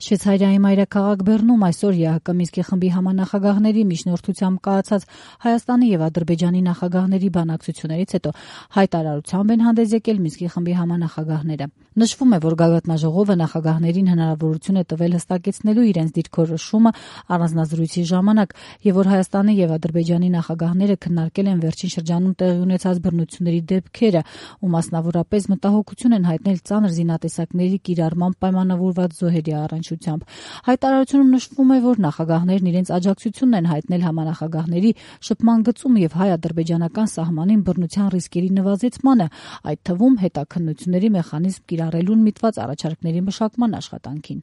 Շվեյցարիայի մայրաքաղաք Բեռնում այսօր ԵԱՀԿ Մինսկի խմբի համանախագահների միջնորդությամբ կայացած Հայաստանի եւ Ադրբեջանի նախագահների բանակցություններից հետո հայտարարությամբ են հանդես եկել Մինսկի խմբի համանախագահները։ Նշվում է, որ գագաթնաժողովը նախագահներին հնարավորություն է տվել հստակեցնելու իրենց դիրքորոշումը առանձնազրույցի ժամանակ եւ որ Հայաստանի եւ Ադրբեջանի նախագահները քննարկել են վերջին շրջանում տեղի ունեցած բռնությունների դեպքերը ու մասնավորապես մտահոգություն են հայտնել ծանր զինատեսակների կիրառման պայմանավորված զոհերի առնչությամբ։ Հայտարարությունում նշվում է, որ նախագահներն իրենց աջակցությունն են հայտնել համանախագահների շփման գծում եւ հայ-ադրբեջանական սահմանին բռնության ռիսկերի նվազեցմանը, այդ թվում հետաքննությունների մեխանիզմ կիրառելուն միտված առաջարկների մշակման աշխատանքին։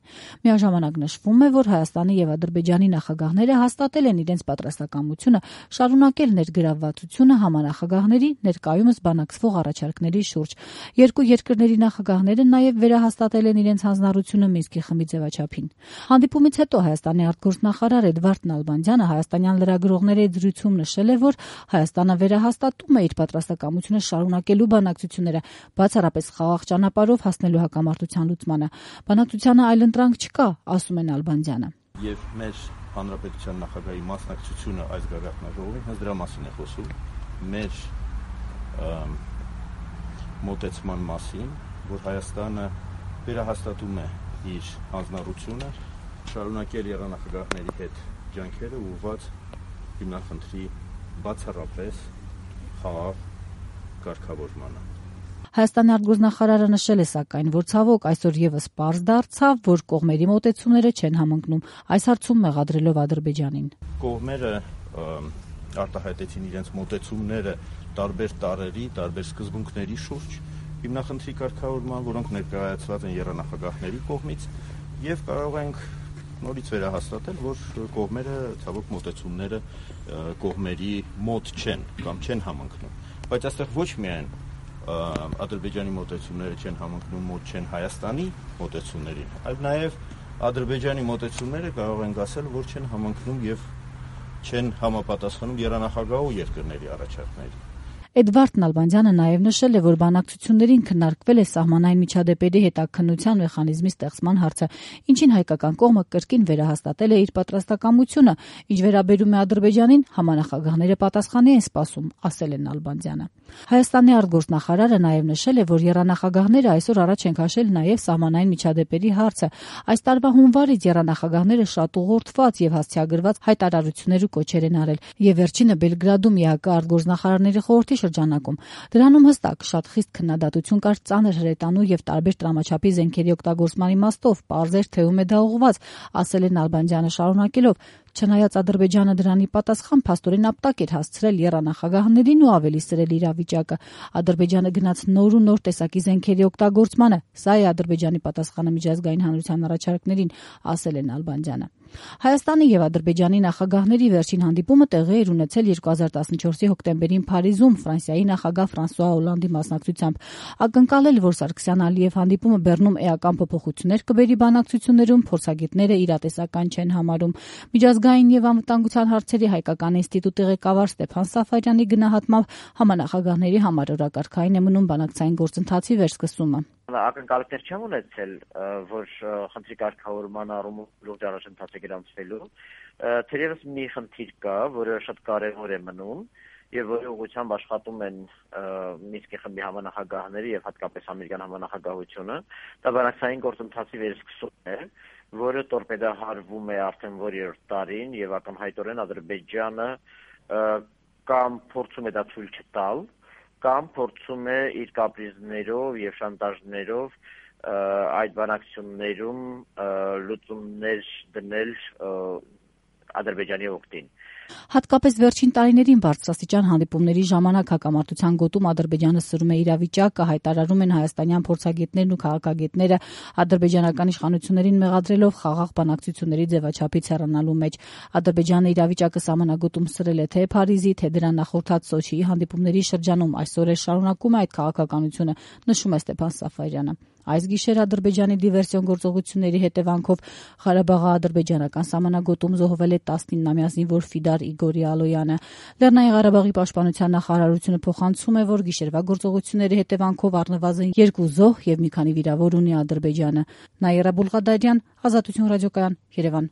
Միաժամանակ նշվում է, որ Հայաստանի եւ Ադրբեջանի նախագահները հաստատել են իրենց պատրաստակամությունը շարունակել ներգրավվածությունը համանախագահների ներկայումս բանակցվող առաջարկների շուրջ։ Երկու երկրների նախագահները նաեւ վերահաստատել են իրենց հանձնառությունը Մինսկի խմբի ձևաչափին։ Հանդիպումից հետո Հայաստանի արտգործնախարար Էդվարդ Նալբանդյանը հայաստանյան լրագրողների հետ զրույցում նշել է, որ Հայաստանը վերահաստատում է իր պատրաստակամությունը շարունակելու բանակցությունները, բացառապես խաղաղ ճանապարհով հասնելու հակամարտության լուծմանը։ Բանակցությանը այլընտրանք չկա, ասում է Նալբանդյանը։ Եվ մեր հանրապետության նախագահի մասնակցությունը այս գագաթնաժողովին հենց դրա մասին է խոսում, մեր մոտեցման մասին, որ Հայաստանը վերահաստատում է իր հանձնառությունը շարունակել եռանախագահների հետ ջանքերը ուղղված հիմնախնդրի բացառապես խաղաղ կարգավորմանը։ Հայաստանի արտգործնախարարը նշել է սակայն, որ ցավոք այսօր եւս պարզ դարձավ, որ կողմերի մոտեցումները չեն համընկնում, այս հարցում մեղադրելով Ադրբեջանին։ Կողմերը արտահայտեցին իրենց մոտեցումները տարբեր տարրերի, տարբեր սկզբունքների շուրջ հիմնախնդրի կարգավորման, որոնք ներկայացված են եռանախագահների կողմից, եւ կարող ենք նորից վերահաստատել, որ կողմերը ցավոք մոտեցումները կողմերի մոտ չեն կամ չեն համընկնում, բայց այստեղ ոչ միայն Ադրբեջանի մոտեցումները չեն համընկնում, մոտ չեն Հայաստանի մոտեցումներին, այլ նաեւ Ադրբեջանի մոտեցումները կարող ենք ասել, որ չեն համընկնում եւ չեն համապատասխանում եռանախագահող երկրների առաջարկներին։ Էդվարդ Նալբանդյանը նաև նշել է, որ բանակցություններին քննարկվել է սահմանային միջադեպերի հետաքննության մեխանիզմի ստեղծման հարցը, ինչին հայկական կողմը կրկին վերահաստատել է իր պատրաստակամությունը, ինչ վերաբերում է Ադրբեջանին, համանախագահները պատասխանի են սպասում, ասել է Նալբանդյանը։ Հայաստանի արտգործնախարարը նաև նշել է, որ եռանախագահները այսօր առաջ են քաշել նաև սահմանային միջադեպերի հարցը։ Այս տարվա հունվարից եռանախագահները շատ ուղղորդված եւ հասցեագրված հայտարարություններ ու կոչեր են արել, եւ վերջինը Բելգրադում ԵԱՀԿ արտգործնախարարների խորհրդի շրջանակում։ Դրանում հստակ շատ խիստ քննադատություն կար ծանր հրետանու եւ տարբեր տրամաչափի զենքերի օգտագործման իմաստով, պարզեր թե ում է դա ուղղված, ասել է Նալբանդյանը շարունակելով. Չնայած Ադրբեջանը դրանի պատասխան փաստորեն ապտակ էր հասցրել եռանախագահներին ու ավելի սրել իրավիճակը, Ադրբեջանը գնաց նոր ու նոր տեսակի զենքերի օգտագործմանը, սա է Ադրբեջանի պատասխանը միջազգային հանրության առաջարկներին, ասել է Նալբանդյանը։ Հայաստանի եւ Ադրբեջանի նախագահների վերջին հանդիպումը տեղի էր ունեցել 2014-ի հոկտեմբերին Փարիզում Ֆրանսիայի նախագահ Ֆրանսուଆ Օլանդի մասնակցությամբ։ Ակնկալել, որ Սարգսյան-Ալիև հանդիպումը Բեռնում էական փոփոխություններ կբերի բանակցություններում, փորձագետները իրատեսական չեն համարում։ Միջազգային եւ անվտանգության հարցերի հայկական ինստիտուտի ղեկավար Ստեփան Սաֆարյանի գնահատմամբ համանախագահների համար օրակարգային է մնում բանակցային գործընթացի վերսկսումը։ Ակնկալիքներ չեմ ունեցել, որ խնդրի կարգավորման առումով լուրջ առաջընթաց է գրանցվելու։ Թերևս մի խնդիր կա, որը շատ կարևոր է մնում եւ որի ուղղությամբ աշխատում են Մինսկի խմբի համանախագահները եւ հատկապես ամերիկյան համանախագահությունը։ Դա բանակցային գործընթացի վերսկսումն է, որը տորպեդահարվում է արդեն որերորդ տարին եւ ակնհայտորեն Ադրբեջանը կամ փորձում է դա ցույց չտալ, կամ փորձում է իր կապրիզներով եւ շանտաժներով այդ բանակցություններում լուծումներ դնել Ադրբեջանի օգտին։ Հատկապես վերջին տարիներին բարձրաստիճան հանդիպումների ժամանակ հակամարտության գոտում Ադրբեջանը սրում է իրավիճակը, հայտարարում են հայաստանյան փորձագետներն ու քաղաքագետները, ադրբեջանական իշխանություններին մեղադրելով խաղաղ բանակցությունների ձևաչափից հեռանալու մեջ։ Ադրբեջանը իրավիճակը սահմանագոտում սրել է թե Փարիզի, թե դրան նախորդած Սոչիի հանդիպումների շրջանում, այսօր է շարունակում է այդ քաղաքականությունը, նշում է Ստեփան Սաֆարյանը։ Այս գիշեր Ադրբեջանի դիվերսիոն գործողությունների հետևանքով Ղարաբաղի-ադրբեջանական սահմանագոտում զոհվել է 19-ամյա զինվոր Ֆիդար Իգորի Ալոյանը։ Լեռնային Ղարաբաղի պաշտպանության նախարարությունը փոխանցում է, որ գիշերվա գործողությունների հետևանքով առնվազն 2 զոհ եւ մի քանի վիրավոր ունի Ադրբեջանը։ Նաիրա Բուլղադարյան, Ազատություն ռադիոկայան, Երևան։